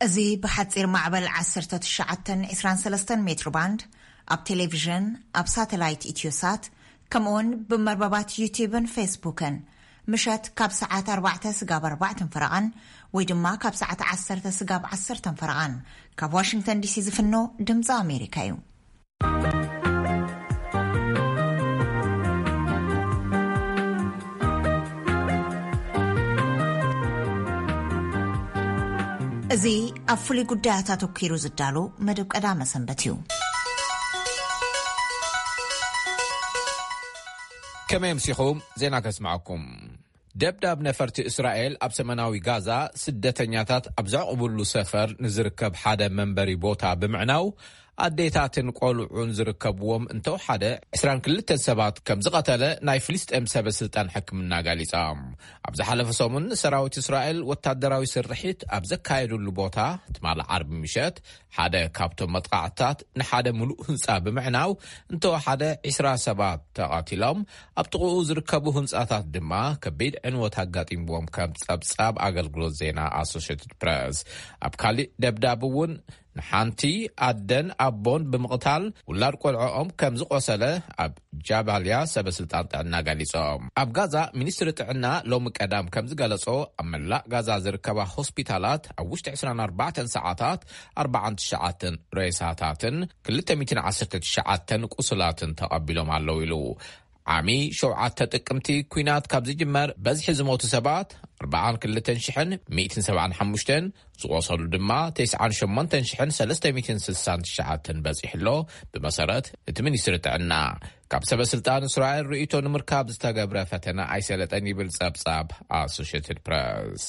እዚ ብሓጺር ማዕበል ዓሰርተ ትሽዓተ ዕስራን ሰለስተን ሜትሮ ባንድ፣ ኣብ ቴሌቪዥን፣ ኣብ ሳተላይት ኢትዮሳት፣ ከምኡውን ብመርበባት ዩቲዩብን ፌስቡክን፣ ምሸት ካብ ሰዓት ኣርባዕተ ስጋብ ኣርባዕተን ፈረቓን፣ ወይ ድማ ካብ ሰዓት ዓሰርተ ስጋብ ዓሰርተን ፈረቓን፣ ካብ ዋሽንግተን ዲሲ ዝፍኖ ድምፂ ኣሜሪካ እዩ። እዚ ኣብ ፍሉይ ጉዳያት ኣተኲሩ ዝዳሎ መደብ ቀዳመ ሰንበት እዩ። ከመይ ኣምሲኹም? ዜና ከስምዓኩም። ደብዳብ ነፈርቲ እስራኤል ኣብ ሰሜናዊ ጋዛ ስደተኛታት ኣብ ዘዕቑብሉ ሰፈር ንዝርከብ ሓደ መንበሪ ቦታ ብምዕናው፣ ኣዴታትን ቆልዑን ዝርከብዎም እንተወሓደ ዕስራን ክልተን ሰባት ከም ዝቐተለ ናይ ፍልስጤም ሰበ ስልጣን ሕክምና ገሊጾም። ኣብ ዝሓለፈ ሰሙን ሰራዊት እስራኤል ወታደራዊ ስርሒት ኣብ ዘካየዱሉ ቦታ ትማሊ ዓርቢ ምሸት ሓደ ካብቶም መጥቃዕትታት ንሓደ ምሉእ ህንጻ ብምዕናው እንተወሓደ ዕስራ ሰባት ተቐቲሎም፣ ኣብ ጥቕኡ ዝርከቡ ህንጻታት ድማ ከቢድ ዕንወት ኣጋጢምዎም ከም ጸብጻብ ኣገልግሎት ዜና ኣሶሽየትድ ፕረስ። ኣብ ካሊእ ደብዳብ እውን ንሓንቲ ኣደን ኣቦን ብምቕታል ውላድ ቆልዖኦም ከም ዝቆሰለ ኣብ ጃባልያ ሰበ ስልጣን ጥዕና ገሊጾም። ኣብ ጋዛ ሚኒስትሪ ጥዕና ሎሚ ቀዳም ከም ዝገለጾ ኣብ መላእ ጋዛ ዝርከባ ሆስፒታላት ኣብ ውሽጢ ዕስራን ኣርባዕተን ሰዓታት ኣርባዓን ትሽዓተን ሬሳታትን ክልተ ሚእትን ዓሰርተ ትሽዓተን ቁስላትን ተቐቢሎም ኣለዉ ኢሉ። ዓሚ ሸውዓተ ጥቅምቲ ኲናት ካብ ዝጅመር በዝሒ ዝሞቱ ሰባት ኣርባዓን ክልተን ሽሕን ሚእትን ሰብዓን ሓሙሽተን፣ ዝቆሰሉ ድማ ተስዓን ሸሞንተን ሽሕን ሰለስተ ሚእትን ስሳን ትሽዓተን በጺሑ ኣሎ። ብመሰረት እቲ ሚኒስትሪ ጥዕና፣ ካብ ሰበ ስልጣን እስራኤል ርእይቶ ንምርካብ ዝተገብረ ፈተነ ኣይሰለጠን ይብል ጸብጻብ ኣሶሽየትድ ፕረስ።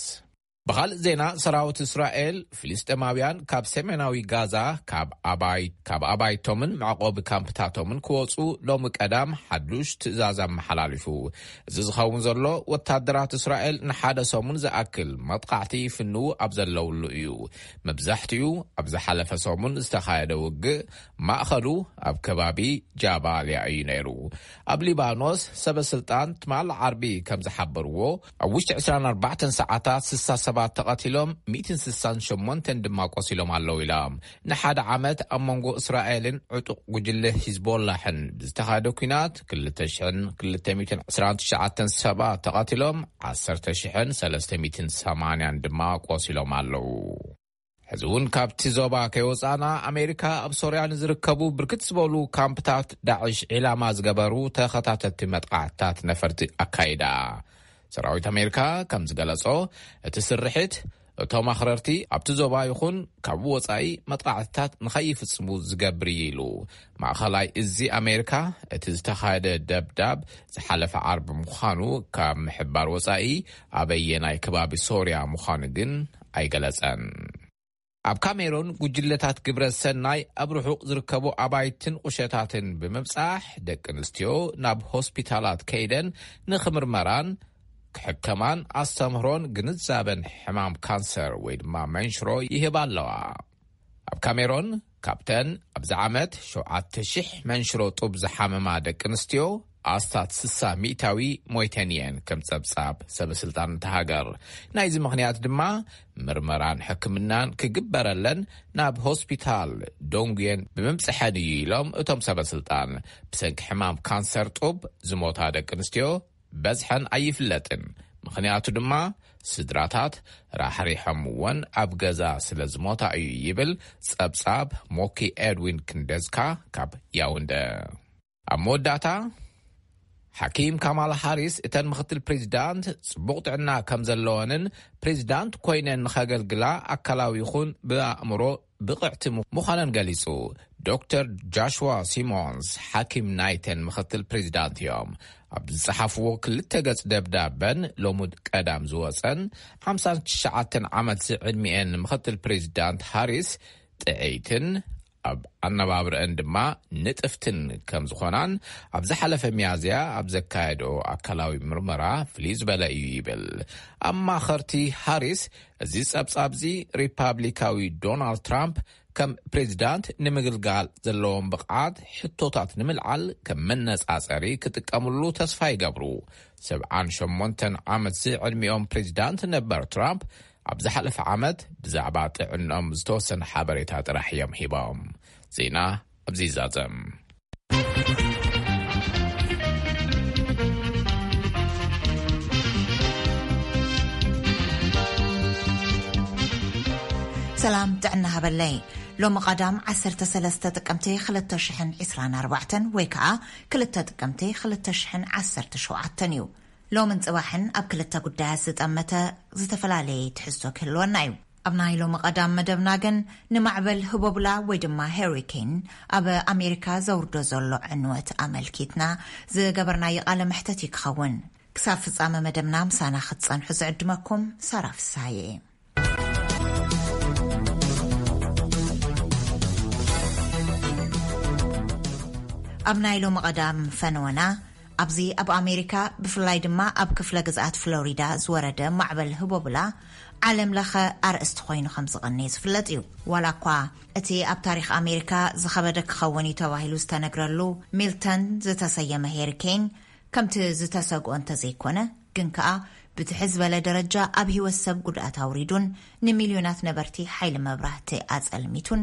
ብኻልእ ዜና፣ ሰራዊት እስራኤል ፍልስጤማውያን ካብ ሰሜናዊ ጋዛ ካብ ኣባይ-፣ ካብ ኣባይቶምን መዕቆቢ ካምፕታቶምን ክወጹ ሎሚ ቀዳም ሓዱሽ ትእዛዝ ኣመሓላሊፉ። እዚ ዝኸውን ዘሎ ወታደራት እስራኤል ንሓደ ሰሙን ዝኣክል መጥቃዕቲ ይፍንዉ ኣብ ዘለውሉ እዩ። መብዛሕትኡ ኣብ ዝሓለፈ ሰሙን ዝተኻየደ ውግእ ማእኸሉ ኣብ ከባቢ ጃባልያ እዩ ነይሩ። ኣብ ሊባኖስ ሰበ ስልጣን ትማሊ ዓርቢ ከም ዝሓበርዎ፣ ኣብ ውሽጢ ዕስራን ኣርባዕተን ሰዓታት ስሳ ሰባት ተቐቲሎም፣ ሚእትን ስሳን ሸሞንተን ድማ ቆሲሎም ኣለዉ ኢሎም። ንሓደ ዓመት ኣብ መንጎ እስራኤልን ዕጡቕ ጉጅለ ሂዝቦላሕን ብዝተኻየደ ኲናት ክልተ ሽሕን ክልተ ሚእትን ዕስራን ትሽዓተን ሰባት ተቐቲሎም፣ ዓሰርተ ሽሕን ሰለስተ ሚእትን ሰማንያን ድማ ቆሲሎም ኣለዉ። ሕዚ እውን ካብቲ ዞባ ከይወጻና፣ ኣሜሪካ ኣብ ሶርያ ንዝርከቡ ብርክት ዝበሉ ካምፕታት ዳዕሽ ዒላማ ዝገበሩ ተኸታተልቲ መጥቃዕትታት ነፈርቲ ኣካይዳ። ሰራዊት ኣሜሪካ ከም ዝገለጾ፣ እቲ ስርሒት እቶም ኣኽረርቲ ኣብቲ ዞባ ይኹን ካብ ወጻኢ መጥቃዕትታት ንኸይፍጽሙ ዝገብር እዩ ኢሉ። ማእኸላይ እዚ ኣሜሪካ፣ እቲ ዝተኻየደ ደብዳብ ዝሓለፈ ዓርቢ ምዃኑ ካብ ምሕባር ወጻኢ፣ ኣበየናይ ከባቢ ሶርያ ምዃኑ ግን ኣይገለጸን። ኣብ ካሜሮን፣ ጉጅለታት ግብረ ሰናይ ኣብ ርሑቕ ዝርከቡ ኣባይትን ቁሸታትን ብምብጻሕ፣ ደቂ ኣንስትዮ ናብ ሆስፒታላት ከይደን ንኽምርመራን ክሕከማን ኣስተምህሮን ግንዛበን ሕማም ካንሰር ወይ ድማ መንሽሮ ይህባ ኣለዋ። ኣብ ካሜሮን፣ ካብተን ኣብዚ ዓመት ሸውዓተ ሽሕ መንሽሮ ጡብ ዝሓመማ ደቂ ኣንስትዮ፣ ኣስታት ስሳ ሚእታዊ ሞይተን እየን፣ ከም ጸብጻብ ሰበ ስልጣን እታ ሃገር። ናይዚ ምኽንያት ድማ፣ ምርመራን ሕክምናን ክግበረለን ናብ ሆስፒታል ዶንጉየን ብምብጽሐን እዩ ኢሎም እቶም ሰበ ስልጣን። ብሰንኪ ሕማም ካንሰር ጡብ ዝሞታ ደቂ ኣንስትዮ በዝሐን ኣይፍለጥን። ምኽንያቱ ድማ፣ ስድራታት ራሕሪሖምወን ኣብ ገዛ ስለ ዝሞታ እዩ ይብል ጸብጻብ ሞኪ ኤድዊን ክንደዝካ ካብ ያውንደ። ኣብ መወዳእታ፣ ሓኪም ካማላ ሃሪስ፣ እተን ምኽትል ፕሬዚዳንት ጽቡቕ ጥዕና ከም ዘለወንን ፕሬዚዳንት ኮይነን ንኸገልግላ ኣካላዊ ይኹን ብኣእምሮ ብቕዕቲ ምዃነን ገሊጹ። ዶክተር ጃሽዋ ሲሞንስ፣ ሓኪም ናይተን ምኽትል ፕሬዚዳንት እዮም። ኣብ ዝጸሓፍዎ ክልተ ገጽ ደብዳበን፣ ሎሚ ቀዳም ዝወጸን፣ ሓምሳን ትሽዓተን ዓመት ዝዕድሚኤን ምኽትል ፕሬዚዳንት ሃሪስ፣ ጥዕይትን ኣብ ኣነባብረአን ድማ ንጥፍትን ከም ዝኾናን፣ ኣብ ዝሓለፈ ሚያዝያ ኣብ ዘካየዶ ኣካላዊ ምርመራ ፍልይ ዝበለ እዩ ይብል። ኣማኸርቲ ሃሪስ፣ እዚ ጸብጻብዚ ሪፓብሊካዊ ዶናልድ ትራምፕ ከም ፕሬዚዳንት ንምግልጋል ዘለዎም ብቕዓት ሕቶታት ንምልዓል ከም መነጻጸሪ ክጥቀምሉ ተስፋ ይገብሩ። ሰብዓን ሸሞንተን ዓመት ዝዕድሚኦም ፕሬዚዳንት ነበር ትራምፕ፣ ኣብ ዝሓለፈ ዓመት ብዛዕባ ጥዕኖም ዝተወሰነ ሓበሬታ ጥራሕ እዮም ሂቦም። ዜና ኣብዚ ይዛዘም። ሰላም ጥዕና ሃበለይ። ሎሚ ቀዳም ዓሰርተ ሰለስተ ጥቅምቲ ክልተ ሽሕን ዕስራን ኣርባዕተን ወይ ከዓ ክልተ ጥቅምቲ ክልተ ሽሕን ዓሰርተ ሸውዓተን እዩ። ሎምን ጽባሕን ኣብ ክልተ ጉዳያት ዝጠመተ ዝተፈላለየ ትሕዝቶ ክህልወና እዩ። ኣብ ናይ ሎሚ ቀዳም መደብና ግን ንማዕበል ህቦብላ ወይ ድማ ሄሪኬን ኣብ ኣሜሪካ ዘውርዶ ዘሎ ዕንወት ኣመልኪትና ዝገበርናዮ ቃለ መሕተት እዩ ክኸውን። ክሳብ ፍጻመ መደብና ምሳና ክትጸንሑ ዝዕድመኩም ሳራ ፍሳሐ እየ። ኣብ ናይ ሎሚ ቀዳም ፈነወና፣ ኣብዚ ኣብ ኣሜሪካ ብፍላይ ድማ ኣብ ክፍለ ግዝኣት ፍሎሪዳ ዝወረደ ማዕበል ህቦብላ ዓለም ለኸ ኣርእስቲ ኮይኑ ከም ዝቐነየ ዝፍለጥ እዩ። ዋላ እኳ እቲ ኣብ ታሪኽ ኣሜሪካ ዝኸበደ ክኸውን እዩ ተባሂሉ ዝተነግረሉ ሚልተን ዝተሰየመ ሄሪኬን ከምቲ ዝተሰግኦ እንተዘይኮነ፣ ግን ከኣ ብትሕዝ ዝበለ ደረጃ ኣብ ህይወት ሰብ ጉድኣት ኣውሪዱን ንሚልዮናት ነበርቲ ሓይሊ መብራህቲ ኣጸልሚቱን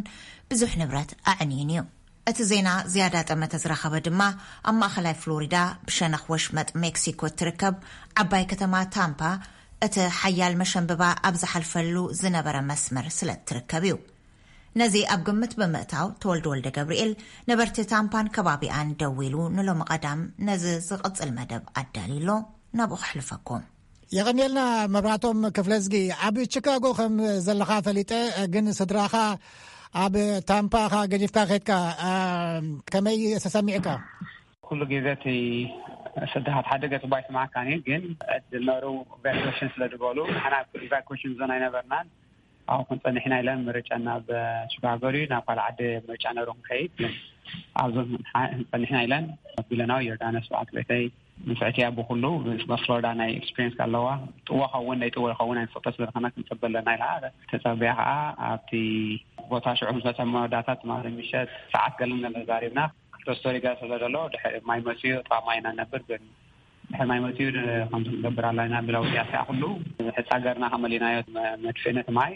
ብዙሕ ንብረት ኣዕንዩን እዩ። እቲ ዜና ዝያዳ ጠመተ ዝረኸበ ድማ ኣብ ማእኸላይ ፍሎሪዳ ብሸነኽ ወሽመጥ ሜክሲኮ እትርከብ ዓባይ ከተማ ታምፓ እቲ ሓያል መሸንብባ ኣብ ዝሓልፈሉ ዝነበረ መስመር ስለ እትርከብ እዩ። ነዚ ኣብ ግምት ብምእታው ተወልደ ወልደ ገብርኤል ነበርቲ ታምፓን ከባቢኣን ደዊሉ ንሎሚ ቀዳም ነዚ ዝቕጽል መደብ ኣዳልዩ ኣሎ። ናብኡ ከሕልፈኩም። የቐንየልና መብራቶም ክፍለዝጊ። ኣብ ቺካጎ ከም ዘለኻ ፈሊጠ፣ ግን ስድራኻ ኣብ ታምፓ ኢኻ ገዲፍካ ከድካ፣ አ፣ ከመይ ተሰሚዕካ? ኩሉ ግዜ እቲ ስድራኻ ሓደ ገጽ እባ ይስምዓካ እዩ፣ ግን ዕድል ነሩ ኢቫኩዌሽን ስለ ዝበሉ ንሕና ኢቫኩዌሽን ዞን ኣይነበርናን። ኣብኡ ክንጸንሕና ኢለን ምርጫ ናብ ቺካጎ ድዩ ናብ ካልእ ዓዲ ምርጫ ነሩ ክንከይድ፣ ግን ኣብዞም ጸኒሕና ኢለን ኣቢለናዊ ዮርዳኖስ በዓልቲ ቤተይ ንፍዕቲ እያ። ብኩሉ ምስ ፍሎሪዳ ናይ ኤክስፒሪየንስ ኣለዋ። ጥዎ ኸውን ናይ ጥዎ ኸውን ኣይንፈልጦ ስለ ዝኾነ ክንጽበ ኣለና ኢላ ተጸበያ። ከዓ ኣብቲ ቦታ ሽዑ ምስ መጸ መወዳእታ ትማሊ ምሸት ሰዓት ገለን ገለ ዛሪብና። ክልተ ስቶሪ ገለ ስለ ዘሎ ድሕሪ ማይ መጽዩ ጥቓ ማይ ኢና ንነብር፣ ግን ድሕሪ ማይ መጽዩ ድ-፣ ከምዚ ክንገብር ኣለና ብለው ያስያ ኩሉ ሕጻ ገርና ከመሊናዮ መ-፣ መድፍእነት ማይ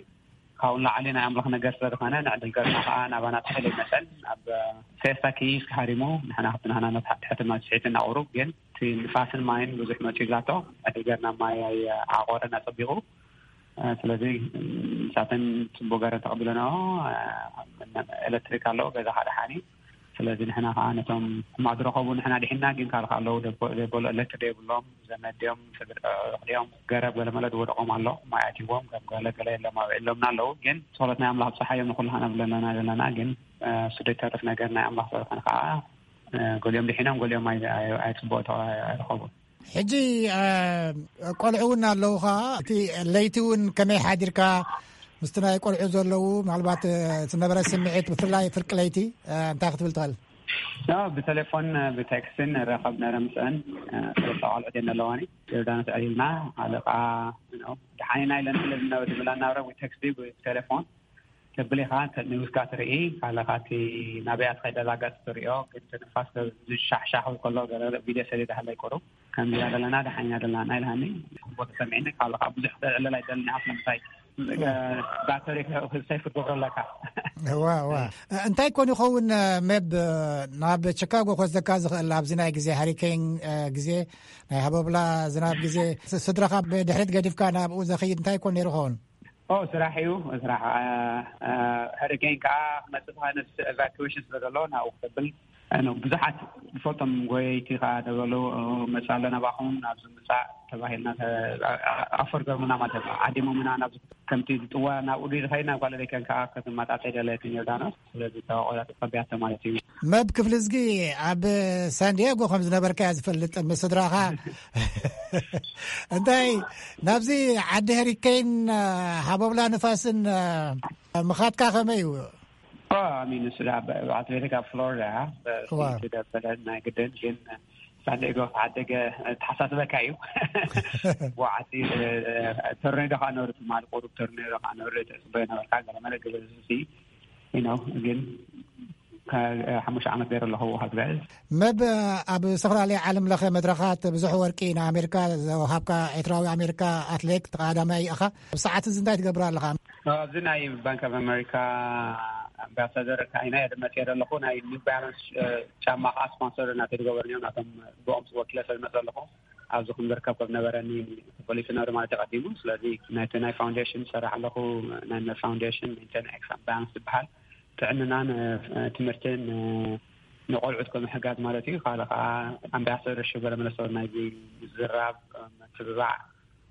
ካብኡ ንላዕሊ ናይ ኣምላኽ ነገር ስለ ዝኾነ፣ ንዕድል ገርና ኸዓ ናባና ትሕል ይመጸን፣ ኣብ ፌስታ ኪስ ሃሪሙ፣ ንሕና ክብቲ ናህና መትሓ-፣ ትሕቲ ማይ ስሒቱ እናቑሩብ፣ ግን እቲ ንፋስን ማይን ብዙሕ መጺኡ ላቶ፣ ዕድል ገርና ማይ ኣይ-፣ ኣቆረን ኣጸቢቑ። እ፣ ስለዚ፣ እ፣ ንሳተን ጽቡቕ ገረን ተቐቢለናኦ። እ፣ ኤሌክትሪክ ኣለዎ፣ ገዛ ሓደ ሓኒ። ስለዚ ንሕና ኸዓ ነቶም ሕማቕ ዝረኸቡ ንሕና ድሒና፣ ግን ካልእ ኣለዉ ደቦ-፣ ዘይበሉ፣ ኤሌክትሪክ ዘይብሎም፣ ዘመድ ድዮም፣ ስድራ፣ ኣዕሩኽ ድዮም፣ ገረብ ገለመለ ዝወደቖም ኣሎ፣ ማይ ኣትይዎም፣ ከም ገለ ገለ የሎም፣ ኣብዒሎምና ኣለዉ። ግን ጸሎት ናይ ኣምላኽ ኣብጽሓዮም ንኹሉ ኸዓ ንብል ኣለና ዘለና። ግን፣ እ፣ እሱ ዘይተርፍ ነገር ናይ ኣምላኽ ስለ ዝኾነ ኸዓ፣ እ፣ ገሊኦም ድሒኖም፣ ገሊኦም ኣይ-፣ ኣይ-፣ ኣይጽቡቕ ተኸ-፣ ኣይረኸቡን። ሕጂ፣ እ፣ ቆልዑ እውን ኣለዉ ኸዓ፣ እቲ ለይቲ እውን ከመይ ሓዲርካ? ምስቲ ናይ ቆልዑ ዘለዉ፣ ምናልባት፣ እ፣ ዝነበረ ስምዒት፣ ብፍላይ ፍርቂ ለይቲ፣ እ፣ እንታይ ክትብል ትኽእል? ኖ፣ ብቴሌፎን፣ ብቴክስትን ንራኸብ ነረ ምስአን፣ እ፣ ሰለስተ ቆልዑት እየን ዘለዋኒ። ዮርዳኖስ ዕሊልና፣ ኣለቃ፣ ኖ፣ ደሓን ኢና ኢለን ስለ ዝነበ፣ ዝብላ እናብረ ብቴክስት፣ ብቴሌፎን፣ ተብል ኢኻ፣ ተ-፣ ንውስካ ትርኢ፣ ካለኻ እቲ ናበይ ኣትኸይድ ዘላ ገጽ ትርእዮ፣ ግን እቲ ንፋስ ዝሻሕሻሕ ከሎ ገለ ቪድዮ ሰሊዳ ሃለይ ቁሩብ፣ ከምዚ ኢና ዘለና፣ ደሓን ኢና ዘለና ኢልሃኒ። ጽቡቕ ተሰሚዕኒ፣ ካለኻ ብዙሕ ክተዕልል ኣይደልን ኢኻ፣ ስለምንታይ፣ እ፣ ባተሪ ሰይፍ ክትገብሮ ኣለካ። እዋ፣ እዋ። እንታይ ኮን ይኸውን፣ እ፣ ሜብ፣ እ፣ ናብ ቺካጎ ክወስደካ ዝኽእል ኣብዚ ናይ ግዜ ሃሪኬን፣ እ፣ ግዜ፣ ናይ ሃቦብላ ዝናብ ግዜ፣ ስ-፣ ስድራኻ ብድሕሪት ገዲፍካ ናብኡ ዘኽይድ እንታይ ኮን ነይሩ ይኸውን? ኦ፣ ስራሕ እዩ፣ ስራሕ። እ፣ እ፣ ሃሪኬን ከኣ ክመጽእ ተኻይነ ስ-፣ ኤቫኩዌሽን ስለ ዘሎ ናብኡ ክተብል፣ እ፣ ነው። ብዙሓት ዝፈልጦም ጎየይቲ ከኣ ተበሉ፣ እ፣ መጽእ ኣሎ ናባኹም፣ ናብዚ ምጻእ ተባሂልና ተ-፣ ኣ-፣ ኣ-፣ ኣፈር ገርሙና ማለት ነው። ዓዲሞምና ናብዚ ከምቲ ዝጥዋ ናብኡ ድዩ ዝኸይድ ናብ ካልእ ደይከን ከኣ ክትመጣጠይ ደለየትን ዮርዳኖስ። ስለዚ ተቆላ ተጸቢያቶ ማለት እዩ። መብ ክፍልዝጊ ኣብ ሳንዲያጎ ከም ዝነበርካ እያ ዝፈልጥ ምስ ስድራኻ። እንታይ ናብዚ ዓዲ ሃሪኬን፣ እ፣ ሃቦብላ ንፋስን፣ እ፣ ምኻድካ ከመይ እዩ? ኦ፣ ኣሚኑ ስለ ኣብ፣ ኣብ ኣትሌቲክ ኣብ ፍሎሪዳ፣ እ፣ ዋ። ስዊት ደበለ ናይ ግድን፣ ግን ሳንዲያጎ ዓደገ ተሓሳስበካ እዩ። ብዓቲ፣ እ፣ ቶርኔዶ ከዓ ነሩ ትማሊ ቁሩብ ቶርኔዶ ከዓ ነሩ ተጽበዮ ነበርካ፣ ገለ መለ ገለ ዝሲ፣ you know፣ ግን ከ-፣ ሓሙሽተ ዓመት ገይረ ኣለኹ ኣብ ግዕዝ። መብ ኣብ ዝተፈላለየ ዓለም ለኸ መድረኻት ብዙሕ ወርቂ ንኣሜሪካ ዝወሃብካ ኤርትራዊ ኣሜሪካ ኣትሌት ተቐዳዳማይ ኢኻ። ኣብ ሰዓት እዚ እንታይ ትገብር ኣለኻ? ኣብዚ ናይ ባንክ ኦፍ ኣሜሪካ ኣምባሳደር ካይና እየ መፅየ ዘለኹ። ናይ ኒው ባላንስ፣ እ፣ ጫማ ከዓ ስፖንሰር ናተይ ዝገበርኒ እዮም። ናቶም ብኦም ወኪለ ሰብ ዝመፅ ኣለኹ። ኣብዚ ከም ዝርከብ ከም ነበረኒ ተፈሊጡ ነሩ ማለት እዩ ቀዲሙ። ስለዚ ናይቲ ናይ ፋውንዴሽን ዝሰርሕ ኣለኹ። ናይ ፋውንዴሽን ሜንቴን ኤክስ ባላንስ ዝበሃል ጥዕንናን፣ እ፣ ትምህርትን፣ እ፣ ንቆልዑት ከም ምሕጋዝ ማለት እዩ። ካልእ ከዓ ኣምባሳደር ሽበለ መለሰ ናይዚ ምዝራብ፣ እ፣ ምትብባዕ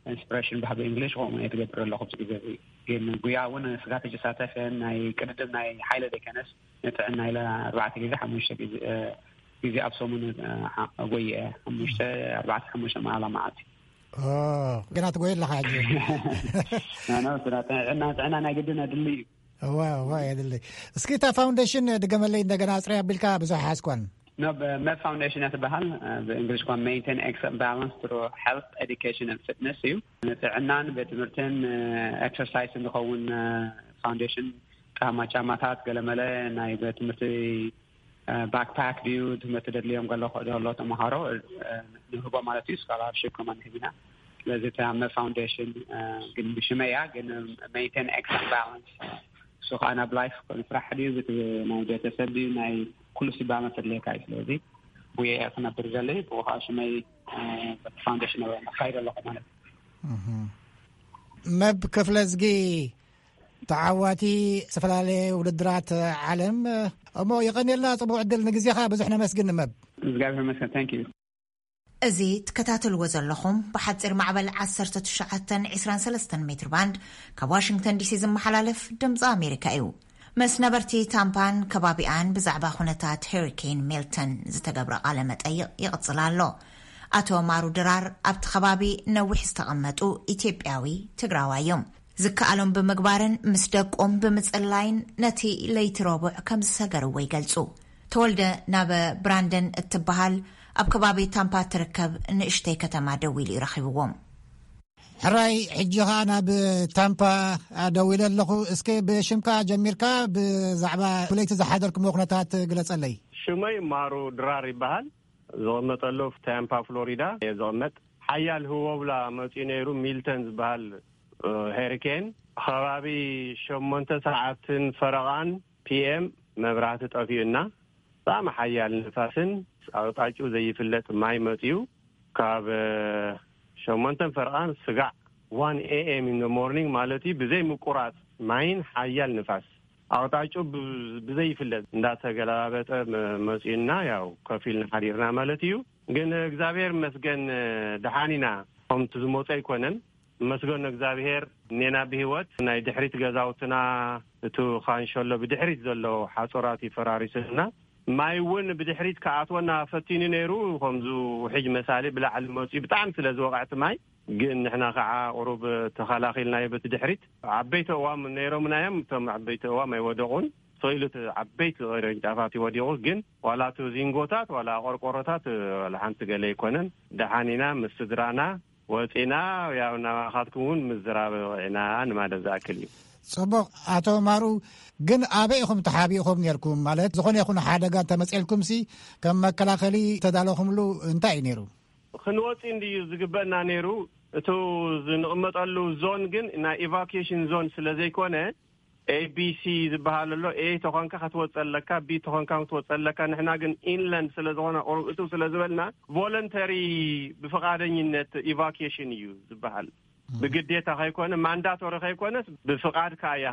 ኢንስፒሬሽን ባህቢ እንግሊሽ ከምኡ እየ ትገብር ኣለኹ ኣብዚ ግዜ እዚ። ግን ጉያ እውን ስጋት እጅሳተፍ ናይ ቅድድም ናይ ሓይለ ዘይከነስ ንጥዕና ኢለ ኣርባዕተ ግዜ ሓሙሽተ ግዜ፣ እ፣ ግዜ ኣብ ሰሙን፣ እ፣ ሓ-፣ ጎየ ሓሙሽተ፣ ኣርባዕተ ሓሙሽተ መዓላ መዓልቲ። ኦ፣ ግና ትጎየ ኣለኻ ሕጂ። ኖ፣ ኖ፣ ስራ ጥዕና፣ ጥዕና ናይ ግድን ኣድሊ እዩ። እዋ፣ እዋ፣ የድሊ። እስኪ እታ ፋውንዴሽን ድገመለይ እንደገና ኣጽርያ ኣቢልካ ብዙሕ ሓዝኳን። ኖ፣ ብ-፣ መብ ፋውንዴሽን እያ ትበሃል። እ፣ ብእንግሊሽ እኳ ሜንቴን ኤክስ ባላንስ ትሩ ሄልት ኤዱኬሽን ኤንድ ፊትነስ እዩ። ንጥዕናን ቤት ትምህርትን፣ እ፣ ኤክሰርሳይስን ዝኸውን፣ እ፣ ፋውንዴሽን ጫማ፣ ጫማታት ገለመለ ናይ ቤት ትምህርቲ፣ እ፣ ባክፓክ ድዩ ትምህርቲ ደድልዮም ገሎ፣ ዘሎ ተምሃሮ፣ እ፣ ንህቦ ማለት እዩ። ስኮላርሺፕ ከማን ንህብ ኢና። ስለዚ እታ መብ ፋውንዴሽን፣ እ፣ ግን ብሽመይ እያ፣ ግን ሜንቴን ኤክስ ባላንስ እሱ ከዓ ናብ ላይፍ ንስራሕ ድዩ፣ ብት-፣ ናይ ቤተሰብ ድዩ፣ ናይ ኩሉ ሲባመት ኣድልየካ እዩ። ስለዚ ብየ ክነብር ዘለይ ብኡ ከዓ ሽመይ፣ እ፣ በቲ ፋውንዴሽን ነካይድ ኣለኹ ማለት እዩ። እህ። መብ ክፍለ ዝጊ ተዓዋቲ ዝተፈላለየ ውድድራት ዓለም እሞ የቐንየልና፣ ጽቡቕ ዕድል። ንግዜኻ ብዙሕ ነመስግን መብ። እግዚኣብሔር ይመስገን። ታንክ ዩ። እዚ ትከታተልዎ ዘለኹም ብሓጺር ማዕበል ዓሰርተ ትሽዓተ ዕስራን ሰለስተን ሜትር ባንድ ካብ ዋሽንግተን ዲሲ ዝመሓላለፍ ድምፂ ኣሜሪካ እዩ። ምስ ነበርቲ ታምፓን ከባቢኣን ብዛዕባ ኩነታት ሄሪኬን ሚልተን ዝተገብረ ቃለ መጠይቕ ይቕጽል ኣሎ። ኣቶ ማሩ ድራር ኣብቲ ከባቢ ነዊሕ ዝተቐመጡ ኢትዮጵያዊ ትግራዋይ እዮም። ዝከኣሎም ብምግባርን ምስ ደቆም ብምጽላይን ነቲ ለይቲ ረቡዕ ከም ዝሰገርዎ ይገልጹ። ተወልደ ናብ ብራንደን እትበሃል ኣብ ከባቢ ታምፓ ትርከብ ንእሽተይ ከተማ ደዊሉ እዩ ረኺብዎም። ሕራይ፣ ሕጂ ኸኣ ናብ ታምፓ ደዊለ ኣለኹ። እስከ ብሽምካ ጀሚርካ ብዛዕባ ብለይቲ ዝሓደርክሞ ኩነታት ግለጸለይ። ሽመይ ማሩ ድራር ይበሃል። ዝቕመጠሉ ታምፓ ፍሎሪዳ እየ ዝቕመጥ። ሓያል ህወብላ መጺኡ ነይሩ። ሚልተን ዝበሃል፣ እ፣ ሄሪኬን። ከባቢ ሸሞንተ ሰዓትን ፈረቓን ፒ ኤም መብራህቲ ጠፊኡና። ብጣዕሚ ሓያል ንፋስን ኣቕጣጭኡ ዘይፍለጥ ማይ መጺኡ። ካብ፣ እ፣ ሸሞንተን ፈረቓን ስጋዕ ዋን ኤ ኤም ኢን ሞርኒንግ ማለት እዩ። ብዘይ ምቁራጽ ማይን ሓያል ንፋስ ኣቕጣጭኡ ብ-፣ ብዘይፍለጥ እንዳተገላባበጠ መ-፣ መጺኡና፣ ያው ከፊልና ሓዲርና ማለት እዩ። ግን እግዚኣብሔር ይመስገን፣ ደሓን ኢና። ከምቲ ዝመጾ ኣይኮነን። መስገን እግዚኣብሔር፣ እኔና ብህይወት። ናይ ድሕሪት ገዛውትና፣ እቱ ካንሸሎ ብድሕሪት ዘሎ ሓጾራት ይፈራሪስና። ማይ እውን ብድሕሪት ክኣትወና ፈቲኑ ነይሩ። ከምዙ ውሕጅ መሳሊ ብላዕሊ መጺኡ ብጣዕሚ ስለ ዝወቕዐ እቲ ማይ፣ ግን ንሕና ከዓ ቁሩብ ተኸላኺልናዮ በቲ ድሕሪት። ዓበይቲ እዋም ነይሮምና እዮም። እቶም ዓበይቲ እዋም ኣይወደቑን። ስቕ ኢሉ እቲ ዓበይቲ ቅርንጫፋት እዩ ወዲቑ። ግን ዋላ እቲ ዚንጎታት ዋላ ቆርቆሮታት ዋላ ሓንቲ ገለ ኣይኮነን። ደሓን ኢና ምስ ስድራና ወፂና። ያው ናባኻትኩም እውን ምዝራብ በቒዕና ንማለት ዝኣክል እዩ። ጽቡቕ። ኣቶ ማሩ፣ ግን ኣበይ ኢኹም ተሓቢእኹም ነርኩም? ማለት ዝኾነ ይኹን ሓደጋ እንተመፅኤልኩም ሲ ከም መከላኸሊ ተዳለኹምሉ እንታይ እዩ ነይሩ? ክንወፂ እንድዩ ዝግበእና ነይሩ። እቱ ዝንቕመጠሉ ዞን ግን ናይ ኢቫኩዌሽን ዞን ስለ ዘይኮነ፣ ኤ ቢ ሲ ዝበሃል ኣሎ። ኤ ተኾንካ ክትወፅእ ኣለካ፣ ቢ ተኾንካ ክትወፅእ ኣለካ። ንሕና ግን ኢንላንድ ስለ ዝኾነ፣ ቁሩብ እትው ስለ ዝበልና፣ ቮለንተሪ፣ ብፍቓደኝነት ኢቫኩዌሽን እዩ ዝበሃል። ብግዴታ ከይኮነ፣ ማንዳቶሪ ከይኮነስ፣ ብፍቓድካ እያ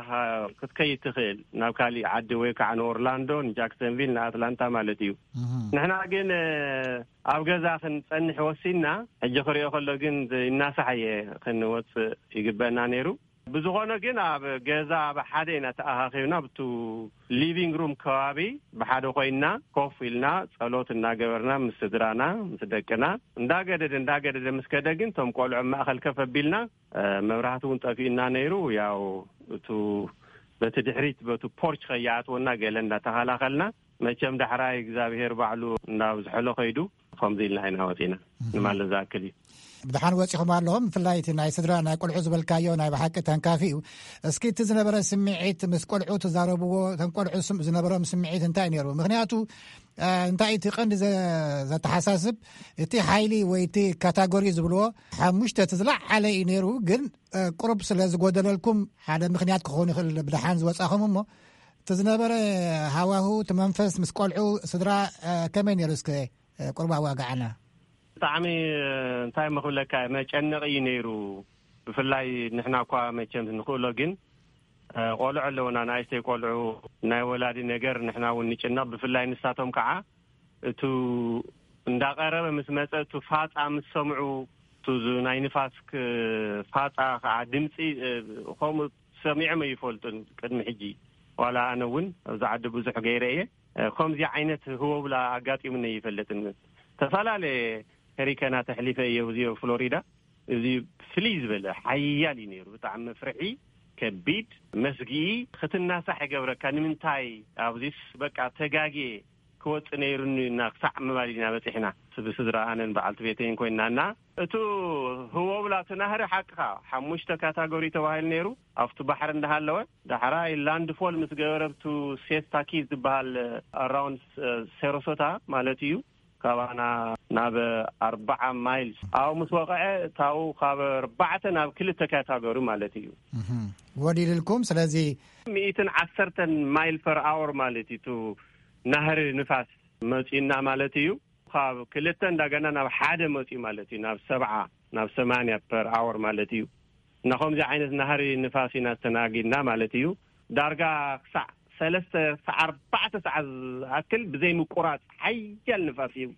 ክትከይድ ትኽእል ናብ ካሊእ ዓዲ፣ ወይ ከዓ ንኦርላንዶ፣ ንጃክሰንቪል፣ ንኣትላንታ ማለት እዩ። እህ። ንሕና ግን፣ እ፣ ኣብ ገዛ ክንጸንሕ ወሲንና። ሕጂ ክሪኦ ከሎ ግን፣ ይናሳሕ እየ፣ ክንወጽእ ይግበእና ነይሩ። ብዝኾነ ግን፣ ኣብ ገዛ ብሓደ ኢና ተኣኻኺብና፣ ብቱ ሊቪንግ ሩም ከባቢ ብሓደ ኮይንና፣ ኮፍ ኢልና፣ ጸሎት እናገበርና፣ ምስ ስድራና፣ ምስ ደቅና፣ እንዳገደደ፣ እንዳገደደ ምስ ከደ ግን፣ እቶም ቆልዑ ኣብ ማእከል ከፍ ኣቢልና፣ እ፣ መብራህቲ እውን ጠፊኡና ነይሩ። ያው፣ እቱ በቲ ድሕሪት፣ በቱ ፖርች ከይኣትወና ገለ እንዳተኸላኸልና፣ መቸም ዳሕራይ እግዚኣብሄር ባዕሉ እንዳብዝሐሎ ከይዱ፣ ከምዚ ኢልና ኢና ወፂና እህ። ንማለት ዝኣክል እዩ። ብድሓን ወጺኹም ኣለኹም። ብፍላይ እቲ ናይ ስድራ ናይ ቆልዑ ዝበልካዮ ናይ ብሓቂ ተንካፊ እዩ። እስኪ እቲ ዝነበረ ስምዒት፣ ምስ ቆልዑ ትዛረብዎ፣ እቶም ቆልዑ ስም- ዝነበሮም ስምዒት እንታይ ነይሩ? ምክንያቱ እ፣ እንታይ እቲ ቀንዲ ዘ- ዘተሓሳስብ፣ እቲ ሓይሊ ወይ እቲ ካታጎሪ ዝብልዎ ሓሙሽተ እቲ ዝለዓለ እዩ ነይሩ። ግን እ፣ ቁሩብ ስለ ዝጎደለልኩም ሓደ ምክንያት ክኸውን ይኽእል ብድሓን ዝወጻኹም። እሞ እቲ ዝነበረ ሃዋሁ፣ እቲ መንፈስ ምስ ቆልዑ፣ ስድራ፣ እ፣ ከመይ ነይሩ? እስከ ቁርባ ዋጋዓና። ብጣዕሚ እንታይ መኽብለካ፣ መጨነቕ እዩ ነይሩ። ብፍላይ ንሕና እኳ መቸም ንኽእሎ፣ ግን ቆልዑ ኣለውና፣ ንኣይስተይ ቆልዑ፣ ናይ ወላዲ ነገር ንሕና እውን ንጭነቕ። ብፍላይ ንሳቶም ከዓ እቱ እንዳቐረበ ምስ መፀ፣ እቱ ፋፃ ምስ ሰምዑ፣ እቱ ናይ ንፋስ ፋፃ ከዓ ድምፂ ከምኡ ሰሚዖም ኣይፈልጡን ቅድሚ ሕጂ። ዋላ ኣነ እውን ኣብዚ ዓዲ ብዙሕ ገይረ እየ። ከምዚ ዓይነት ህወብላ ኣጋጢሙኒ ይፈልጥን። ተፈላለየ ሄሪከና ተሕሊፈ እየ እዚ ፍሎሪዳ። እዚ ፍልይ ዝበለ ሓያል እዩ ነይሩ። ብጣዕሚ መፍርሒ፣ ከቢድ፣ መስግኢ፣ ክትናሳሕ ይገብረካ። ንምንታይ ኣብዚስ በቃ ተጋግየ ክወፅእ ነይሩኒ እና ክሳዕ ምባል ኢና በፂሕና። ብስድራ ኣነን በዓልቲ ቤተይን ኮይና እና እቱ ህወብላ እቲ ናህሪ ሓቅኻ ሓሙሽተ ካታጎሪ ተባሂሉ ነይሩ። ኣብቲ ባሕሪ እንዳሃለወ ዳሕራይ ላንድ ፎል ምስ ገበረ ብቱ ሴስታ ኪዝ ዝበሃል ኣራውንድ ሰሮሶታ ማለት እዩ። ካባና ናብ ኣርባዓ ማይልስ ኣብኡ ምስ ወቕዐ እታው ካብ ኣርባዕተ ናብ ክልተ ካታጎሪ ማለት እዩ። ወዲልልኩም። ስለዚ ሚእትን ዓሰርተን ማይል ፐር ኣወር ማለት እዩ። እቱ ናህሪ ንፋስ መፂና ማለት እዩ። ካብ ክልተ እንዳገና ናብ ሓደ መፂኡ ማለት እዩ። ናብ ሰብዓ ናብ ሰማንያ ፐር ኣወር ማለት እዩ። እና ከምዚ ዓይነት ናህሪ ንፋስ ኢና ዝተናጊድና ማለት እዩ። ዳርጋ ክሳዕ ሰለስተ ክሳዕ ኣርባዕተ ሰዓት ዝኣክል ብዘይ ምቁራፅ ሓያል ንፋስ እዩ።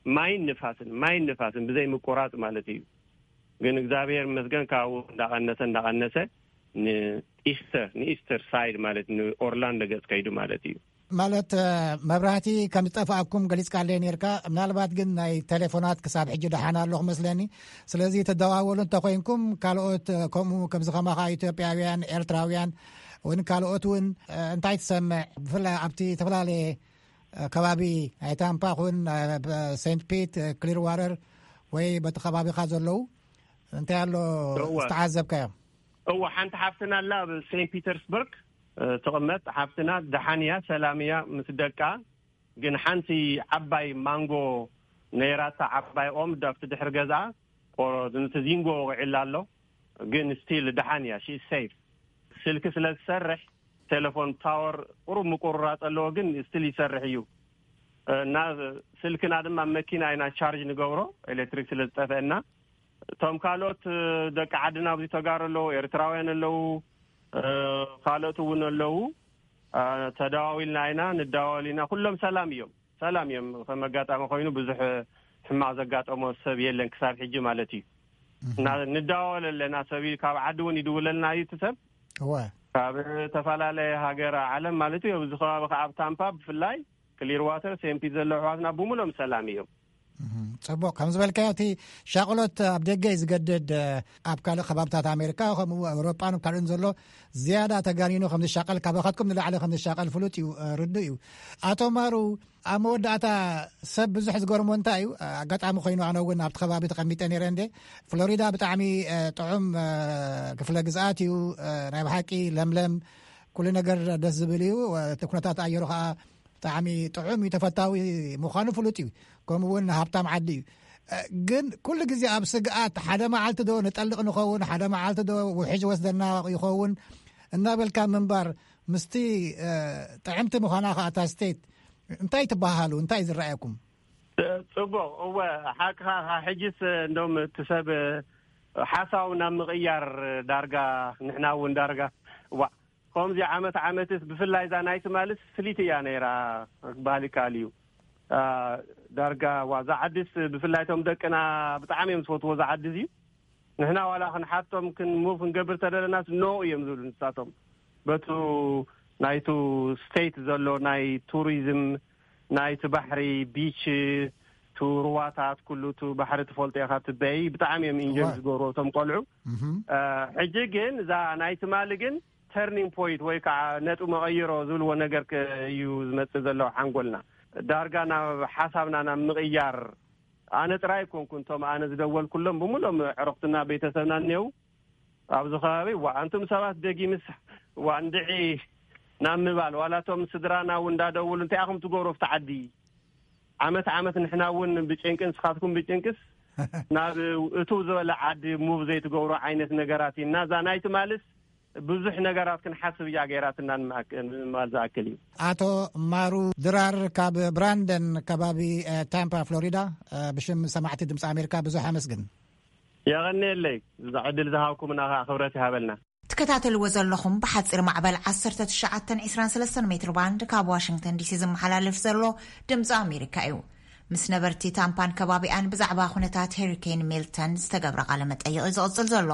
ማይን ንፋስን፣ ማይን ንፋስን ብዘይ ምቁራፅ ማለት እዩ። ግን እግዚኣብሔር ይመስገን ካብኡ እንዳቐነሰ እንዳቐነሰ ንኢስተር ንኢስተር ሳይድ ማለት ንኦርላንዶ ገፅ ከይዱ ማለት እዩ። ማለት መብራህቲ ከም ዝጠፍኣኩም ገሊጽካለይ ነርካ። ምናልባት ግን ናይ ቴሌፎናት ክሳብ ሕጂ ደሓን ኣሎ ክመስለኒ። ስለዚ ተደዋወሉ እንተኮይንኩም ካልኦት ከምኡ ከምዚ ከማኻ ኢትዮጵያውያን፣ ኤርትራውያን እውን ካልኦት እውን እንታይ ትሰምዕ? ብፍላይ ኣብቲ ዝተፈላለየ ከባቢ ናይ ታምፓ ኩን ሴንት ፒት ክሊር ዋተር ወይ በቲ ከባቢኻ ዘለዉ እንታይ ኣሎ ዝተዓዘብካዮ? እወ፣ ሓንቲ ሓፍትና ኣላ ኣብ ሴንት ፒተርስበርግ ትቕመጥ ሓፍትና ደሓን እያ፣ ሰላም እያ ምስ ደቃ። ግን ሓንቲ ዓባይ ማንጎ ነይራታ፣ ዓባይ ኦም ዳብቲ ድሕሪ ገዛ ቆሮ ንቲ ዚንጎ ወቂዕላ ኣሎ። ግን ስቲል ደሓን እያ፣ ሺ ሴፍ። ስልኪ ስለ ዝሰርሕ ቴሌፎን ታወር ቁሩብ ምቁርራፅ ኣለዎ፣ ግን ስቲል ይሰርሕ እዩ። እና ስልክና ድማ መኪና ኢና ቻርጅ ንገብሮ ኤሌክትሪክ ስለ ዝጠፈአና። እቶም ካልኦት ደቂ ዓድና ኣብዚ ተጋሩ ኣለዉ፣ ኤርትራውያን ኣለዉ፣ ካልኦት እውን ኣለዉ። ተደዋዊልና ኢና ንደዋወል ኢና። ኩሎም ሰላም እዮም፣ ሰላም እዮም። ከም ኣጋጣሚ ኮይኑ ብዙሕ ሕማቕ ዘጋጠሞ ሰብ የለን ክሳብ ሕጂ ማለት እዩ። እና ንደዋወል ኣለና። ሰብ ካብ ዓዲ እውን ይድውለልና እዩ እቲ ሰብ። እወ። ካብ ዝተፈላለየ ሃገር ዓለም ማለት እዩ። ኣብዚ ከባቢ ከዓ ኣብ ታምፓ ብፍላይ ክሊር ዋተር ሴምፒ ዘለዉ ኣሕዋትና ብሙሎም ሰላም እዮም። ጽቡቕ። ከም ዝበልካዮ እቲ ሻቕሎት ኣብ ደገ እዩ ዝገድድ። ኣብ ካልእ ከባብታት ኣሜሪካ ከምኡ ኣውሮጳን ካልእን ዘሎ ዝያዳ ተጋኒኑ ከም ዝሻቐል፣ ካባኻትኩም ንላዕሊ ከም ዝሻቐል ፍሉጥ እዩ፣ ርዱእ እዩ። ኣቶ ማሩ፣ ኣብ መወዳእታ ሰብ ብዙሕ ዝገርሞ እንታይ እዩ፣ ኣጋጣሚ ኮይኑ ኣነ እውን ኣብቲ ከባቢ ተቐሚጠ ነይረ እንደ ፍሎሪዳ ብጣዕሚ ጥዑም ክፍለ ግዝኣት እዩ፣ ናይ ብሓቂ ለምለም፣ ኩሉ ነገር ደስ ዝብል እዩ። እቲ ኩነታት ኣየሩ ከዓ ብጣዕሚ ጥዑም እዩ፣ ተፈታዊ ምዃኑ ፍሉጥ እዩ። ከምኡ እውን ሃብታም ዓዲ እዩ። ግን ኩሉ ግዜ ኣብ ስግኣት፣ ሓደ መዓልቲ ዶ ንጠልቕ ንኸውን፣ ሓደ መዓልቲ ዶ ውሕጅ ወስደና ይኸውን እናበልካ ምንባር፣ ምስቲ ጥዕምቲ ምዃና ከዓ እታ ስቴት እንታይ ትበሃሉ? እንታይ ዝረኣየኩም? ጽቡቕ። እወ፣ ሓቅኻ። ሕጅስ እንደውም እቲ ሰብ ሓሳቡ ናብ ምቕያር ዳርጋ፣ ንሕና እውን ዳርጋ ዋ ከምዚ ዓመት ዓመትስ ብፍላይ እዛ ናይ ትማልስ ፍሊት እያ ነይራ ክበሃል ይከኣል እዩ። ዳርጋ ዋ እዛ ዓድስ ብፍላይ እቶም ደቅና ብጣዕሚ እዮም ዝፈትዎ እዛ ዓዲ እዚ። ንሕና ዋላ ክንሓቶም ክንሙቭ ክንገብር ተደለናስ ኖ እዮም ዝብሉ ንሳቶም። በቱ ናይቱ ስቴት ዘሎ ናይ ቱሪዝም ናይቲ ባሕሪ ቢች ቱ ሩዋታት ኩሉ ቱ ባሕሪ ትፈልጦ ኢኻ ትበይ ብጣዕሚ እዮም ኢንጆይ ዝገብሩ እቶም ቆልዑ። ሕጂ ግን እዛ ናይ ትማሊ ግን ተርኒንግ ፖይንት ወይ ከዓ ነጥቢ መቐይሮ ዝብልዎ ነገር እዩ ዝመፅእ ዘሎ ሓንጎልና ዳርጋ ናብ ሓሳብና ናብ ምቕያር ኣነ ጥራይ ኣይኮንኩን፣ እቶም ኣነ ዝደወልኩሎም ብምሎም ዕረኽትና ቤተሰብና እኔው ኣብዚ ከባቢ። ዋ፣ ኣንቱም ሰባት ደጊምስ ዋ እንድዒ ናብ ምባል፣ ዋላቶም ስድራና እውን እንዳደውሉ እንታይ ኢኹም ትገብሩ ኣብቲ ዓዲ? ዓመት ዓመት ንሕና እውን ብጭንቂ፣ ንስኻትኩም ብጭንቅስ ናብ እቱ ዝበለ ዓዲ ሙቭ ዘይትገብሩ ዓይነት ነገራት እዩ። እና እዛ ናይ ትማልስ ብዙሕ ነገራት ክንሓስብ እያ ገይራትና፣ ንምባል ዝኣክል እዩ። ኣቶ ማሩ ድራር ካብ ብራንደን ከባቢ ታምፓ ፍሎሪዳ፣ ብሽም ሰማዕቲ ድምፂ ኣሜሪካ ብዙሕ ኣመስግን። የቐንየለይ፣ እዛ ዕድል ዝሃብኩምና ከዓ ክብረት ይሃበልና። ትከታተልዎ ዘለኹም ብሓፂር ማዕበል ዓሰርተ ትሽዓተ ዕስራን ሰለስተን ሜትር ባንድ ካብ ዋሽንግተን ዲሲ ዝመሓላለፍ ዘሎ ድምፂ ኣሜሪካ እዩ። ምስ ነበርቲ ታምፓን ከባቢኣን ብዛዕባ ኩነታት ሄሪኬን ሚልተን ዝተገብረ ቃለ መጠይቕ እዩ ዝቕፅል ዘሎ።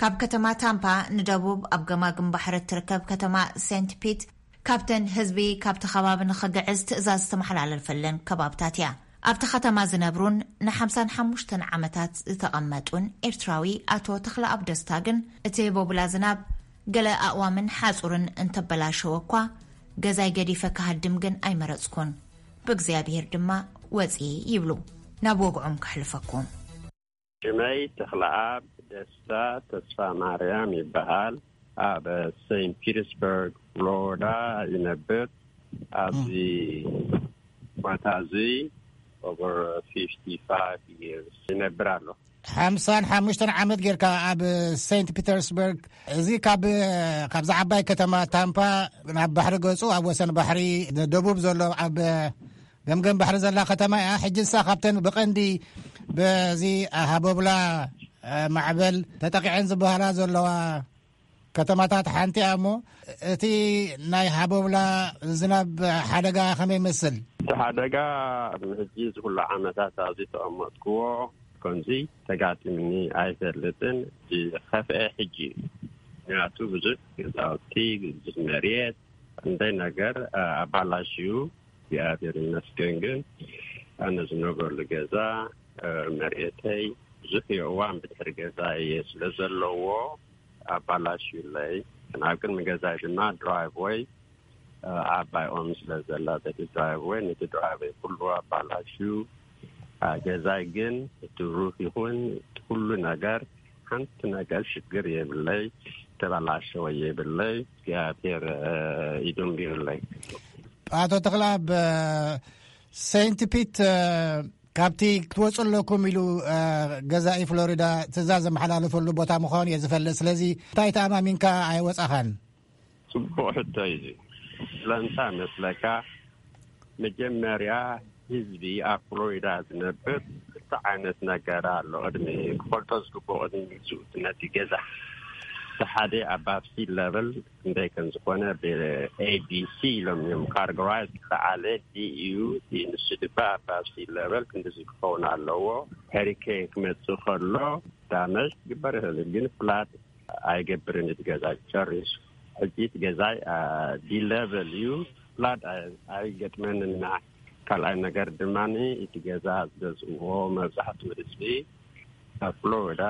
ካብ ከተማ ታምፓ ንደቡብ ኣብ ገማግም ባሕሪ እትርከብ ከተማ ሴንት ፒት ካብተን ህዝቢ ካብቲ ከባቢ ንኽግዕዝ ትእዛዝ ዝተመሓላለፈለን ከባብታት እያ። ኣብቲ ከተማ ዝነብሩን ንሓምሳን ሓሙሽተን ዓመታት ዝተቐመጡን ኤርትራዊ ኣቶ ተኽለኣብ ደስታ ግን እቲ ቦብላ ዝናብ ገለ ኣእዋምን ሓጹርን እንተበላሸወ እኳ ገዛይ ገዲፈ ክሃድም ግን ኣይመረጽኩን። ብእግዚኣብሔር ድማ ወጺ ይብሉ። ናብ ወግዖም ከሕልፈኩም። ሽመይ ተኽለኣብ ደስታ ተስፋ ማርያም ይበሃል። ኣብ ሴንት ፒተርስበርግ ፍሎሪዳ ይነብር። ኣብዚ ቦታ እዚ over fifty five years ይነብር ኣሎ። ሓምሳን ሓሙሽተን ዓመት ጌርካ ኣብ ሴንት ፒተርስበርግ፣ እዚ ካብ ካብዛ ዓባይ ከተማ ታምፓ ናብ ባሕሪ ገጹ፣ ኣብ ወሰን ባሕሪ ደቡብ ዘሎ ኣብ ገምገም ባሕሪ ዘላ ከተማ እያ። ሕጂ ንሳ ካብተን ብቐንዲ በዚ ሃቦብላ ማዕበል ተጠቂዐን ዝበሃላ ዘለዋ ከተማታት ሓንቲ እያ። እሞ እቲ ናይ ሃቦብላ ዝናብ ሓደጋ ከመይ ይመስል? እቲ ሓደጋ ሕጂ እዚ ኩሉ ዓመታት ኣብዚ ተቐመጥክዎ ከምዚ ተጋጢምኒ ኣይፈልጥን። ዝኸፍአ ሕጂ እዩ። ምክንያቱ ብዙሕ ገዛውቲ፣ ብዙሕ መሬት፣ እንደይ ነገር ኣባላሽዩ። እግዚኣብሔር ይመስገን ግን ኣነ ዝነብረሉ ገዛ መሬተይ ብዙሕ የእዋን ብድሕሪ ገዛ እየ ስለ ዘለዎ ኣባላሽዩለይ። ኣብ ቅድሚ ገዛይ ድማ ድራይቭ ወይ ዓባይ ኦም ስለ ዘላ በቲ ድራይቭ ወይ ነቲ ድራይቭ ወይ ኩሉ ኣባላሽዩ። ገዛይ ግን እቲ ሩፍ ይኹን ኩሉ ነገር ሓንቲ ነገር ሽግር የብለይ፣ ተበላሸወ የብለይ። እግዚኣብሔር ኢዶም ቢሩለይ። ኣቶ ተኽለኣብ፣ ሴንት ፒት ካብቲ ክትወፁ ኣለኩም ኢሉ ገዛኢ ፍሎሪዳ ትእዛዝ ዘመሓላለፈሉ ቦታ ምዃኑ እየ ዝፈልጥ። ስለዚ እንታይ ተኣማሚንካ ኣይወፃኻን? ፅቡቕ ሕቶ እዩ። ስለምንታይ መስለካ? መጀመርያ ህዝቢ ኣብ ፍሎሪዳ ዝነብር ክልተ ዓይነት ነገር ኣሎ። ቅድሚ ክፈልጦ ዝግብኦ ቅድሚ ምግዝኡ ነቲ ገዛ እቲ ሓደ ኣባብ ሲ ለቨል ክንደይ ከም ዝኾነ ብኤቢሲ ኢሎም እዮም ካርጎራይዝ። ዝለዓለ ዲዩ፣ ንሱ ድማ ኣባብ ሲ ለቨል ክንዲዚ ክኸውን ኣለዎ። ሄሪኬን ክመፅእ ከሎ ዳመጅ ክግበር ይኽእል፣ ግን ፍላድ ኣይገብርን እቲ ገዛ ጨሪሱ። ሕጂ እቲ ገዛይ ዲ ለቨል እዩ፣ ፍላድ ኣይገጥመንና። ካልኣይ ነገር ድማ እቲ ገዛ ዝገዝእዎ መብዛሕትኡ ህዝቢ ኣብ ፍሎሪዳ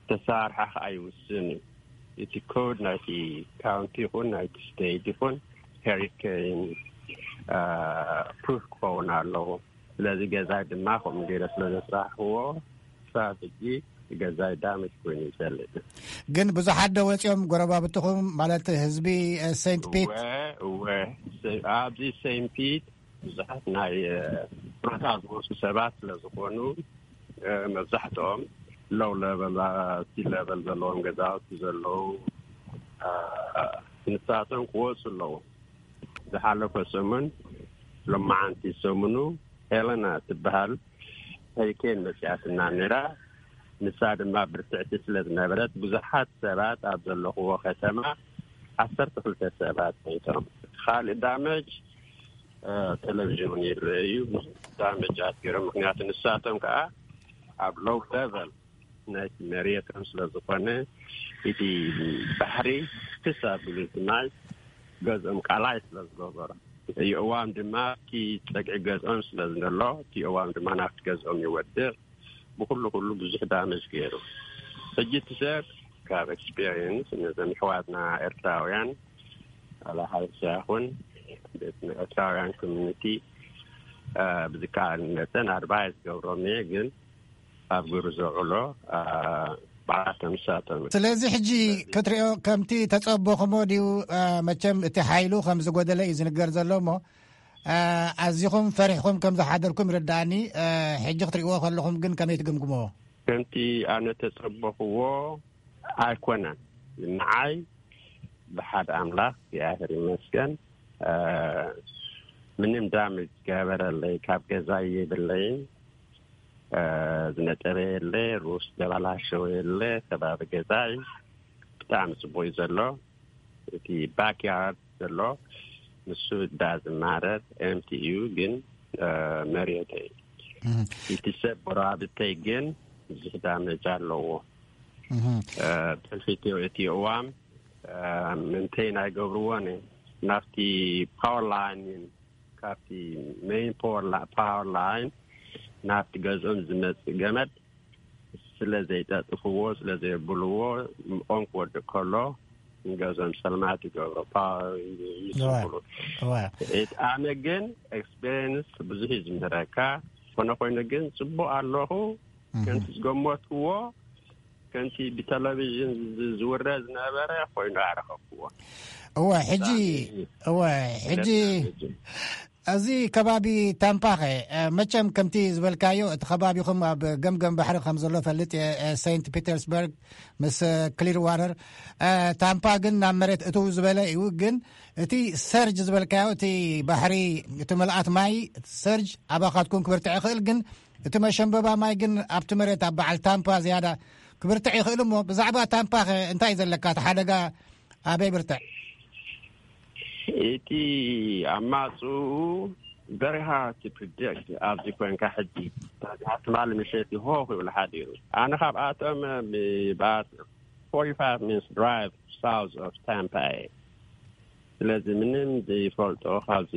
ተሳርሓ ከዓ ይውስን እዩ። እቲ ኮድ ናይቲ ካውንቲ ይኹን ናይቲ ስቴት ይኹን ሄሪኬን ፕሩፍ ክኸውን ኣለዎ። ስለዚ ገዛይ ድማ ከምኡ ገይረ ስለ ዘስራሕክዎ ክሳብ ሕጂ ገዛይ ዳመጅ ኮይኑ ይሰልጥ። ግን ብዙሓት ዶ ወፂኦም ጎረባብትኹም ማለት ህዝቢ ሴንት ፒት? እወ፣ እወ። ኣብዚ ሴንት ፒት ብዙሓት ናይ ጡረታ ዝወፁ ሰባት ስለ ዝኾኑ መብዛሕትኦም ሎው ለቨል፣ ሲ ለቨል ዘለዎም ገዛውቲ ዘለዉ ንሳቶም ክወፁ ኣለዎም። ዝሓለፈ ሰሙን፣ ሎማዓንቲ ሰሙኑ ሄለና ትበሃል ሄሪኬን መፅያትና ነይራ። ንሳ ድማ ብርትዕቲ ስለ ዝነበረት ብዙሓት ሰባት ኣብ ዘለኽዎ ከተማ ዓሰርተ ክልተ ሰባት ሞይቶም። ካልእ ዳመጅ ቴሌቪዥን እውን ይረአ እዩ። ብዙሕ ዳመጃት ገይሮም። ምክንያቱ ንሳቶም ከዓ ኣብ ሎው ለቨል ናይቲ መሬቶም ስለ ዝኾነ እቲ ባሕሪ ክስ ኣቢሉ እቲ ማይ ገዝኦም ቃላይ ስለ ዝገበሮ፣ እቲ የእዋም ድማ ኣብቲ ፀግዒ ገዝኦም ስለ ዘሎ እቲ የእዋም ድማ ናብቲ ገዝኦም ይወድቕ። ብኩሉ ኩሉ ብዙሕ ዳመጅ ገይሩ። ሕጂ እቲ ሰብ ካብ ኤክስፔሪየንስ ነዞም ኣሕዋትና ኤርትራውያን ዋላ ሓበሻ ይኹን ቤት ኤርትራውያን ኮሚኒቲ እ፣ ብዝከኣል መጠን ኣድቫይስ ገብሮም እየ፣ ግን ኣብ ግብሪ ዘውዕሎ፣ እ፣ ባዕላቶም ንሳቶም። ስለዚ ሕጂ ክትሪኦ ከምቲ ተጸበኹሞ ድዩ? እ፣ መቸም እቲ ሓይሉ ከም ዝጎደለ እዩ ዝንገር ዘሎ እሞ፣ እ፣ ኣዚኹም ፈሪሕኩም ከም ዝሓደርኩም ይርድኣኒ። እ፣ ሕጂ ክትሪእዎ ከለኹም ግን ከመይ ትግምግምዎ? ከምቲ ኣነ ተጸበኹዎ ኣይኮነን። ንዓይ ብሓደ ኣምላኽ እግዚኣብሔር ይመስገን፣ እ፣ ምንም ዳሜጅ ዝገበረለይ ካብ ገዛይ የብለይን። እ፣ ዝነጠበ የለ፣ ሩስ ዘበላሸወ የለ። ከባቢ ገዛይ ብጣዕሚ ጽቡቕ እዩ ዘሎ። እቲ ባክያርድ ዘሎ ንሱ ዳዝማረር ኤምቲ እዩ፣ ግን፣ እ፣ መሬተይ። እህ። እቲ ሰብ ጎረባብተይ ግን ብዙሕ ዳሜጅ ኣለዎ። እህ። እ፣ ብሕልፊ እቲ፣ እቲ እዋም፣ እ፣ ምንተይ ናይ ገብርዎን ናብቲ ፓወር ላይን፣ ካብቲ ሜይን ፓወር ላ-፣ ፓወር ላይን ናብቲ ገዝኦም ዝመጽእ ገመድ ስለ ዘይጠጥፍዎ፣ ስለ ዘየብልዎ፣ ኦን ክወድቅ ከሎ ንገዝኦም ሰልማት ይገብሮ፣ ፓወር ይስብሉ። እዋ። እት-፣ ኣነ ግን ኤክስፔሪንስ ብዙሕ እዩ ዝምህረካ። ኮነ ኮይኑ ግን ጽቡቕ ኣለኹ። እህ። ከምቲ ዝገመትክዎ፣ ከምቲ ብቴሌቪዥን ዝ-፣ ዝውረ ዝነበረ ኮይኑ ኣረኸብክዎ። እወ፣ ሕጂ፣ ብጣዕሚ እወ፣ ሕጂ፣ ደስ ዝብል። እዚ ከባቢ ታምፓኸ፣ እ፣ መቸም ከምቲ ዝበልካዮ፣ እቲ ከባቢኹም ኣብ ገምገም ባሕሪ ከም ዘሎ ፈልጥ እየ፣ እ፣ ሴንት ፒተርስበርግ ምስ፣ እ፣ ክሊር ዋተር፣ እ፣ ታምፓ ግን ናብ መሬት እትው ዝበለ እዩ። ግን እቲ ሰርጅ ዝበልካዮ፣ እቲ ባሕሪ፣ እቲ ምልኣት ማይ ሰርጅ ኣባኻትኩም ክብርትዕ ይኽእል፣ ግን እቲ መሸንበባ ማይ ግን ኣብቲ መሬት ኣብ በዓል ታምፓ ዝያዳ ክብርትዕ ይኽእል እሞ፣ ብዛዕባ ታምፓኸ እንታይ እዩ ዘለካ? እቲ ሓደጋ ኣበይ ብርትዕ? እቲ ኣማጽኡ very hard to predict ኣብዚ ኮንካ ሕጂ። ትማሊ ምሸት ይሆ ክብል ሓዲሩ። ኣነ ካብኣቶም ብኣት forty-five minutes drive south of Tampa እየ። ስለዚ ምንም ዘይፈልጦ ካብዚ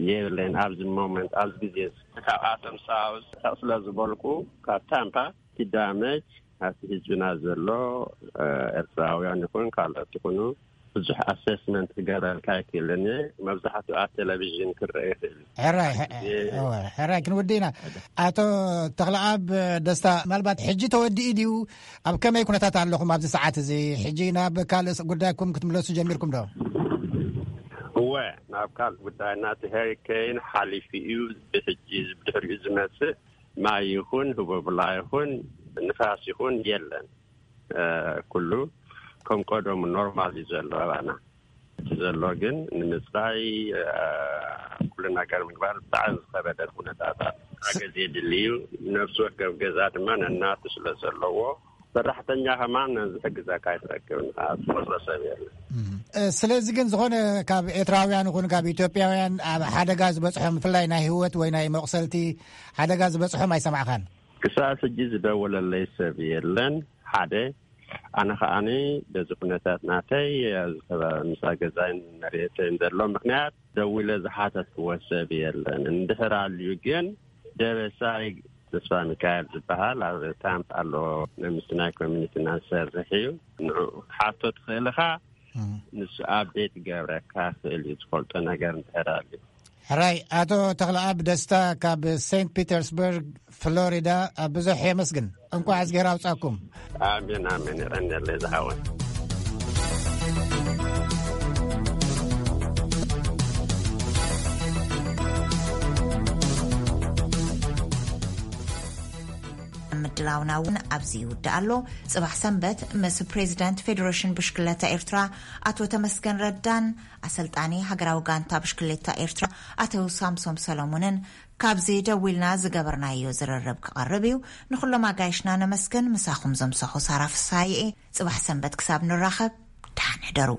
የብለይን ኣብዚ ሞመንት፣ ኣብዚ ግዜ። ካብኣቶም ሳውዝ ስለ ዝበልኩ ካብ ታምፓ እቲ ዳመጅ ኣብቲ ህዝብና ዘሎ፣ እ፣ ኤርትራውያን ይኹን ካልኦት ይኹኑ ብዙሕ ኣሰስመንት ክገብረልካ ኣይክእልን እየ። መብዛሕትኡ ኣብ ቴሌቪዥን ክረአ ይኽእል እዩ። ሕራይ፣ ሕ-፣ እየ። እወ፣ ሕራይ ክንወዲ ኢና። ኣቶ ተኽለኣብ ደስታ፣ ምናልባት ሕጂ ተወዲኡ ድዩ? ኣብ ከመይ ኩነታት ኣለኹም ኣብዚ ሰዓት እዚ? ሕጂ ናብ ካልእ ጉዳይኩም ክትምለሱ ጀሚርኩም ዶ? እወ፣ ናብ ካልእ ጉዳይና፣ እቲ ሄሪኬን ሓሊፉ እዩ። ብሕጂ፣ ብድሕሪኡ ዝመጽእ ማይ ይኹን፣ ህቦብላ ይኹን፣ ንፋስ ይኹን የለን። እ፣ ኩሉ ከም ቀደሙ ኖርማል እዩ ዘሎ ኣባና። እቲ ዘሎ ግን ንምጽራይ፣ እ፣ ኩሉ ነገር ምግባር ብጣዕሚ ዝኸበደ ኩነታት ኣብ ገዛ የድሊ እዩ። ነፍሲ ወከፍ ገዛ ድማ ነናቱ ስለ ዘለዎ፣ ሰራሕተኛ ከማን ዝሕግዘካ ኣይትረክብን። ዝቆጽሮ ሰብ የለን። እም። እ፣ ስለዚ ግን ዝኾነ ካብ ኤርትራውያን ይኹን ካብ ኢትዮጵያውያን ኣብ ሓደጋ ዝበጽሖም፣ ብፍላይ ናይ ህይወት ወይ ናይ መቑሰልቲ ሓደጋ ዝበጽሖም ኣይሰማዕካን? ክሳብ ሕጂ ዝደወለለይ ሰብ የለን። ሓደ፣ ኣነ ከኣኒ በዚ ኩነታት ናተይ ኣብዚ ከባቢ ምሳ ገዛይን መሬተይን ዘሎ ምኽንያት ደዊለ ዝሓተትክዎ ሰብ የለን። እንድሕር ኣልዩ ግን ደበሳይ ተስፋ ሚካኤል ዝበሃል ኣብ ታምፕ ኣሎ፣ ናይ ምስናይ ኮሚኒቲና ዝሰርሕ እዩ። ንዕኡ ክትሓቶ ትኽእል ኢኻ። እም። ንሱ ኣፕዴት ይገብረካ ክእል እዩ፣ ዝፈልጦ ነገር እንድሕር ኣልዩ። ሕራይ፣ ኣቶ ተኽለኣብ ደስታ ካብ ሴንት ፒተርስበርግ ፍሎሪዳ፣ ብዙሕ የመስግን። እንኳዕ እዝጌር ኣውጻኩም። ኣሜን፣ ኣሜን። የቐንየለይ ዝሓወይ። ምድላውና እውን ኣብዚ ይውዳእ ኣሎ። ጽባሕ ሰንበት ምስ ፕሬዚዳንት ፌዴሬሽን ብሽክለታ ኤርትራ ኣቶ ተመስገን ረዳን ኣሰልጣኒ ሃገራዊ ጋንታ ብሽክሌታ ኤርትራ ኣቶ ሳምሶም ሰሎሞንን ካብዚ ደዊልና ዝገበርናዮ ዝርርብ ክቐርብ እዩ። ንኹሎም ኣጋይሽና ነመስግን። ምሳኹም ዘምሰኹ ሳራ ፍሳሐ እየ። ጽባሕ ሰንበት ክሳብ ንራኸብ፣ ደሓን ሕደሩ።